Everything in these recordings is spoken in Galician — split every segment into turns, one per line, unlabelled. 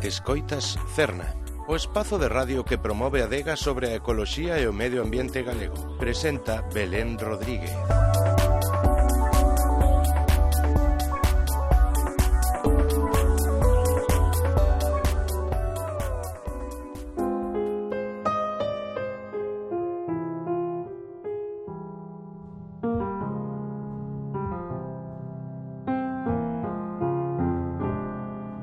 Escoitas Cerna, o espazo de radio que promove a adega sobre a ecoloxía e o medio ambiente galego. Presenta Belén Rodríguez.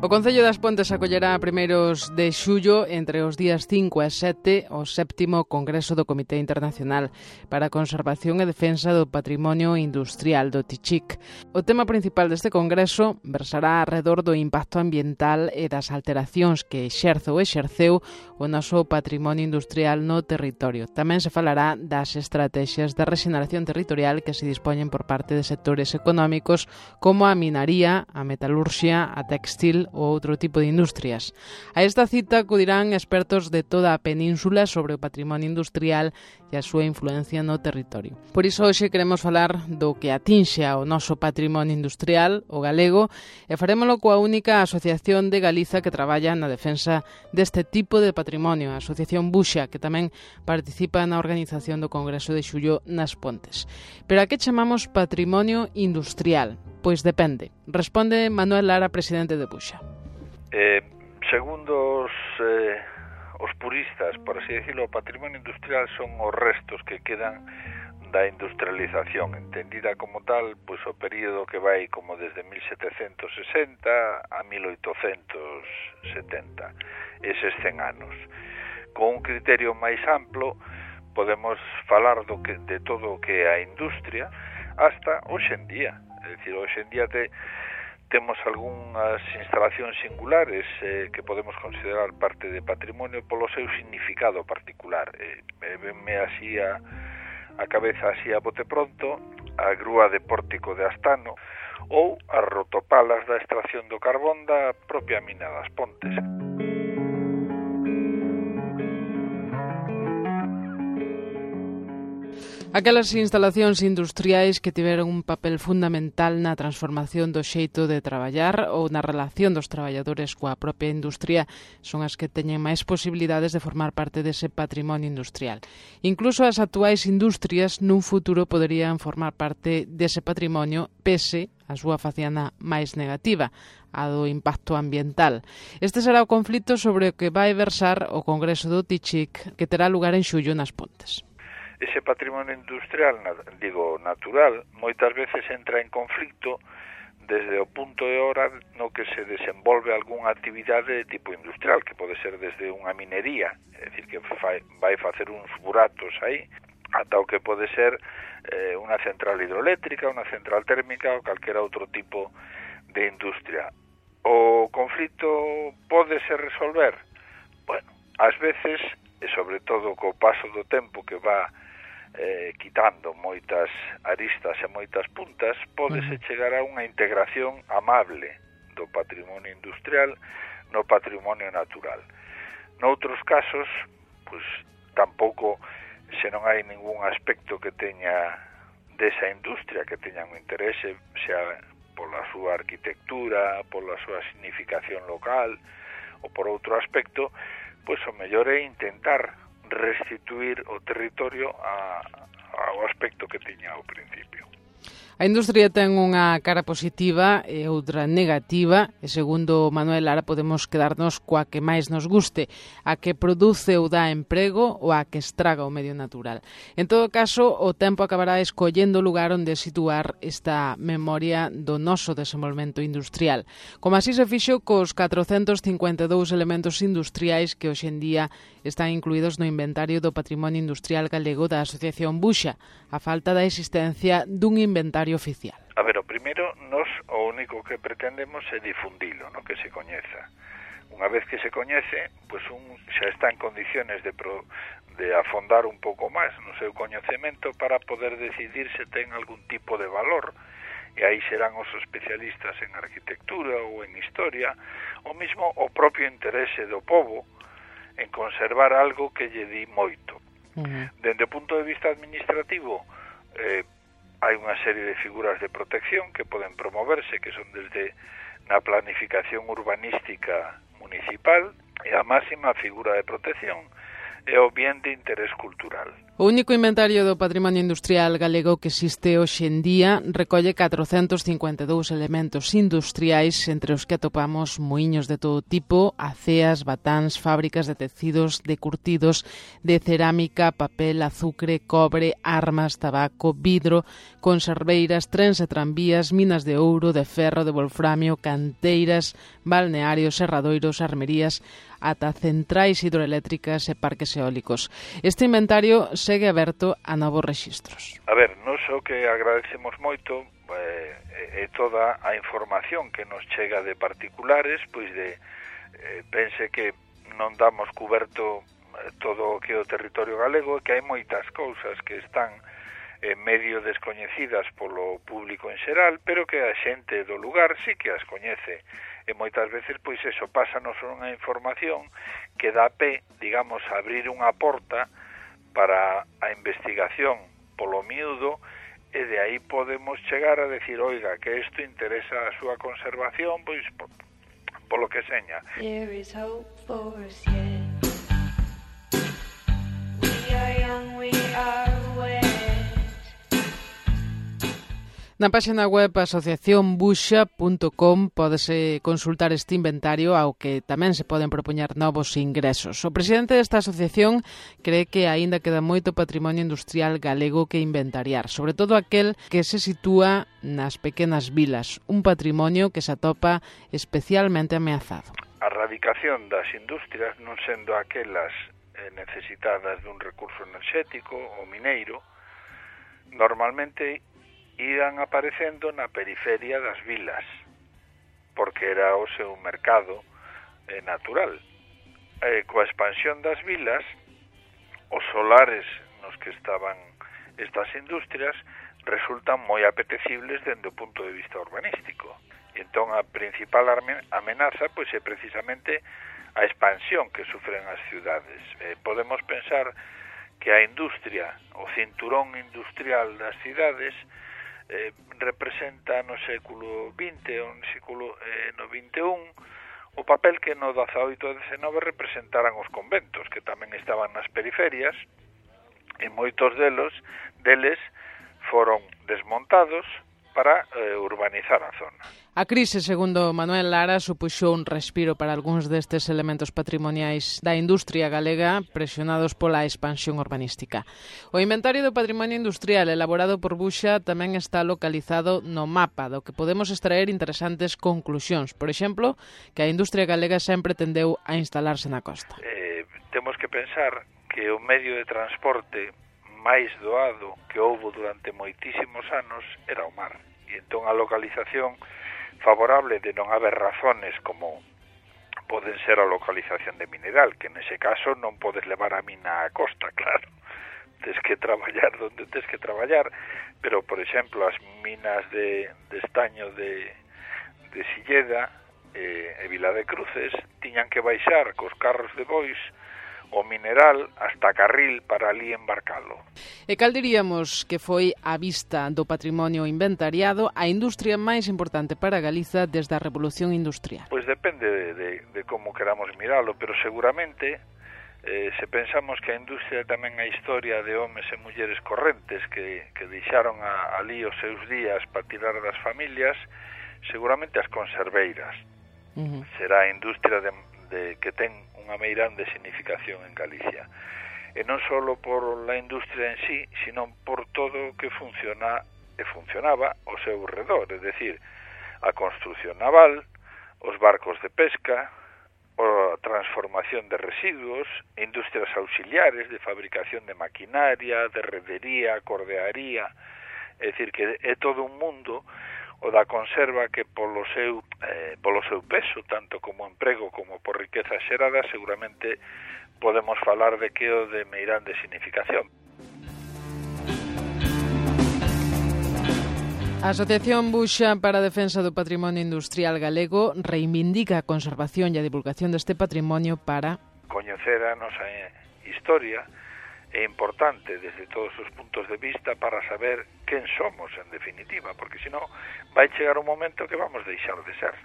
O Concello das Pontes acollerá a primeiros de xullo, entre os días 5 e 7, o 7º Congreso do Comité Internacional para a Conservación e Defensa do Patrimonio Industrial do TICHIC. O tema principal deste congreso versará arredor do impacto ambiental e das alteracións que exerce ou exerceu o noso patrimonio industrial no territorio. Tamén se falará das estrategias de rexeneración territorial que se dispoñen por parte de sectores económicos como a minaría, a metalurxia, a textil ou outro tipo de industrias. A esta cita acudirán expertos de toda a península sobre o patrimonio industrial e a súa influencia no territorio. Por iso hoxe queremos falar do que atinxe ao noso patrimonio industrial, o galego, e farémolo coa única asociación de Galiza que traballa na defensa deste tipo de patrimonio, a Asociación Buxa, que tamén participa na organización do Congreso de Xullo nas Pontes. Pero a que chamamos patrimonio industrial? Pois depende. Responde Manuel Lara, presidente de Buxa.
Segundo os puristas, por así decirlo, o patrimonio industrial son os restos que quedan da industrialización, entendida como tal, pois o período que vai como desde 1760 a 1870, eses 100 anos. Con un criterio máis amplo, podemos falar de todo o que é a industria hasta hoxe en día. É dicir, hoxe en día temos algunhas instalacións singulares que podemos considerar parte de patrimonio polo seu significado particular. Venme así a cabeza así a bote pronto a grúa de Pórtico de Astano ou as rotopalas da extracción do carbón da propia mina das Pontes.
Aquelas instalacións industriais que tiveron un papel fundamental na transformación do xeito de traballar ou na relación dos traballadores coa propia industria son as que teñen máis posibilidades de formar parte dese patrimonio industrial. Incluso as actuais industrias nun futuro poderían formar parte dese patrimonio pese a súa faciana máis negativa, a do impacto ambiental. Este será o conflito sobre o que vai versar o Congreso do TICHIC que terá lugar en xullo nas Pontes.
Ese patrimonio industrial, natural, moitas veces entra en conflicto desde o punto de hora no que se desenvolve algunha actividade de tipo industrial, que pode ser desde unha minería, é dicir, que vai facer uns buratos aí, ata o que pode ser unha central hidroeléctrica, unha central térmica ou calquera outro tipo de industria. O conflito pode se resolver? Bueno, ás veces, e sobre todo co paso do tempo que va quitando moitas aristas e moitas puntas, pódese chegar a unha integración amable do patrimonio industrial no patrimonio natural. Noutros casos, pois tampouco, se non hai ningún aspecto que teña desa industria que teña un interese, xa pola súa arquitectura, pola súa significación local ou por outro aspecto, pois o mellor é intentar restituir o territorio ao aspecto que tiña ao principio.
A industria ten unha cara positiva e outra negativa, e segundo Manuel Lara podemos quedarnos coa que máis nos guste, a que produce ou dá emprego ou a que estraga o medio natural. En todo caso, o tempo acabará escollendo o lugar onde situar esta memoria do noso desenvolvemento industrial, como así se fixo cos 452 elementos industriais que hoxe en día están incluídos no inventario do patrimonio industrial galego da Asociación Buxa, a falta da existencia dun inventario oficial.
A ver, o primeiro, nos o único que pretendemos é difundilo, no que se coñeza. Unha vez que se coñece, pois xa está en condiciones de afondar un pouco máis no seu coñecemento para poder decidir se ten algún tipo de valor, e aí serán os especialistas en arquitectura ou en historia, ou mesmo o propio interese do pobo en conservar algo que lle di moito. Dende o punto de vista administrativo, hai unha serie de figuras de protección que poden promoverse, que son desde na planificación urbanística municipal e a máxima figura de protección e o bien de interés cultural.
O único inventario do patrimonio industrial galego que existe hoxe en día recolle 452 elementos industriais, entre os que atopamos muiños de todo tipo, aceas, batáns, fábricas de tecidos, de curtidos, de cerámica, papel, azucre, cobre, armas, tabaco, vidro, conserveiras, trens e tranvías, minas de ouro, de ferro, de wolframio, canteiras, balnearios, serradoiros, armerías, ata centrais hidroeléctricas e parques eólicos. Este inventario segue aberto a novos rexistros.
A ver, nos o que agradecemos moito é toda a información que nos chega de particulares, pois pense que non damos cuberto todo o que é o territorio galego, que hai moitas cousas que están medio descoñecidas polo público en xeral, pero que a xente do lugar sí que as coñece. E moitas veces, pois eso, pásanos unha información que dá pé, digamos, a abrir unha porta para a investigación polo miúdo, e de aí podemos chegar a decir, oiga, que isto interesa a súa conservación, pois polo que seña.
There is hope for us yet. We are young, we are wet.
Na páxina web asociacionbuxa.com pódese consultar este inventario ao que tamén se poden propoñer novos ingresos. O presidente desta asociación cree que aínda queda moito patrimonio industrial galego que inventariar, sobre todo aquel que se sitúa nas pequenas vilas, un patrimonio que se atopa especialmente ameazado.
A erradicación das industrias, non sendo aquelas necesitadas dun recurso enerxético ou mineiro, normalmente iban aparecendo na periferia das vilas, porque era o seu mercado natural. Coa expansión das vilas, os solares nos que estaban estas industrias resultan moi apetecibles dende o punto de vista urbanístico. E entón a principal amenaza pois é precisamente a expansión que sufren as ciudades. Podemos pensar que a industria, o cinturón industrial das cidades, representa no século XX ou no XXI o papel que no XVIII e XIX representaran os conventos, que tamén estaban nas periferias, e moitos deles foron desmontados para urbanizar a zona.
A crise, segundo Manuel Lara, supuxou un respiro para algúns destes elementos patrimoniais da industria galega presionados pola expansión urbanística. O inventario do patrimonio industrial elaborado por Buxa tamén está localizado no mapa, do que podemos extraer interesantes conclusións. Por exemplo, que a industria galega sempre tendeu a instalarse na costa.
Temos que pensar que o medio de transporte máis doado que houbo durante moitísimos anos era o mar. E entón a localización favorable de non haber razones como poden ser a localización de mineral, que nese caso non podes levar a mina á costa, claro. Tes que traballar donde tes que traballar, pero, por exemplo, as minas de estaño de Silleda e Vila de Cruces tiñan que baixar cos carros de bois o mineral hasta Carril para ali embarcalo.
E cal diríamos que foi a vista do patrimonio inventariado a industria máis importante para Galiza desde a Revolución Industrial?
Pois depende de como queramos miralo, pero seguramente se pensamos que a industria tamén a historia de homes e mulleres correntes que deixaron ali os seus días para tirar das familias, seguramente as conserveiras. Será a industria que ten unha meirande significación en Galicia. E non só por la industria en sí, sino por todo o que funcionaba ao seu redor, é dicir, a construción naval, os barcos de pesca, a transformación de residuos, industrias auxiliares de fabricación de maquinaria, de redería, cordearía, é dicir, que é todo un mundo o da conserva que polo seu peso, tanto como emprego como por riqueza xerada, seguramente podemos falar de que o de meirande significación.
A Asociación Buxa para a Defensa do Patrimonio Industrial Galego reivindica a conservación e a divulgación deste patrimonio para
coñecer a nosa historia. É importante desde todos os puntos de vista para saber quen somos en definitiva, porque senón vai chegar un momento que vamos deixar de ser.